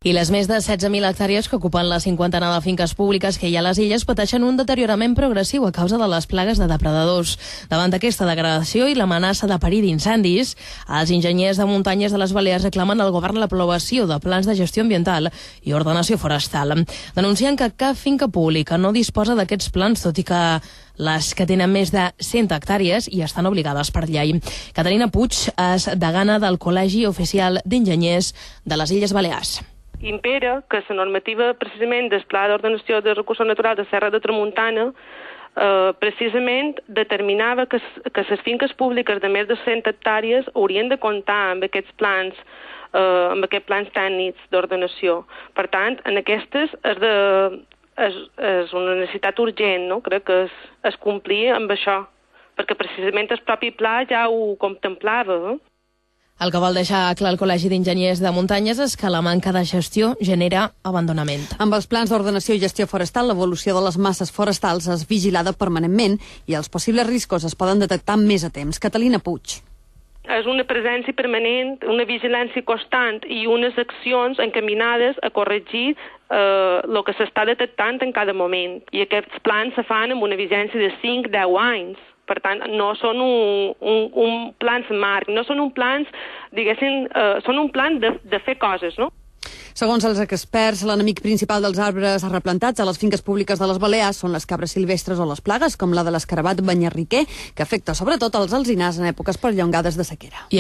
I les més de 16.000 hectàrees que ocupen la cinquantena de finques públiques que hi ha a les illes pateixen un deteriorament progressiu a causa de les plagues de depredadors. Davant d'aquesta degradació i l'amenaça de perill d'incendis, els enginyers de muntanyes de les Balears reclamen al govern l'aprovació de plans de gestió ambiental i ordenació forestal. Denuncien que cap finca pública no disposa d'aquests plans, tot i que les que tenen més de 100 hectàrees i estan obligades per llei. Caterina Puig és degana del Col·legi Oficial d'Enginyers de les Illes Balears. Impera que la normativa precisament del Pla d'Ordenació de Recursos Naturals de Serra de Tramuntana precisament determinava que les finques públiques de més de 100 hectàrees haurien de comptar amb aquests plans tècnics d'ordenació. Per tant, en aquestes és una necessitat urgent, no? Crec que es complir amb això, perquè precisament el propi pla ja ho contemplava. El que vol deixar clar el Col·legi d'Enginyers de Muntanyes és que la manca de gestió genera abandonament. Amb els plans d'ordenació i gestió forestal, l'evolució de les masses forestals és vigilada permanentment i els possibles riscos es poden detectar més a temps. Catalina Puig. És una presència permanent, una vigilància constant i unes accions encaminades a corregir el que s'està detectant en cada moment. I aquests plans se fan amb una vigència de 5-10 anys. Per tant, no són un plans marc, no són un plans, diguéssim, són un plan de fer coses, no? Segons els experts, l'enemic principal dels arbres replantats a les finques públiques de les Balears són les cabres silvestres o les plagues, com la de l'escarabat banyarriquer, que afecta sobretot els alzinars en èpoques perllongades de sequera.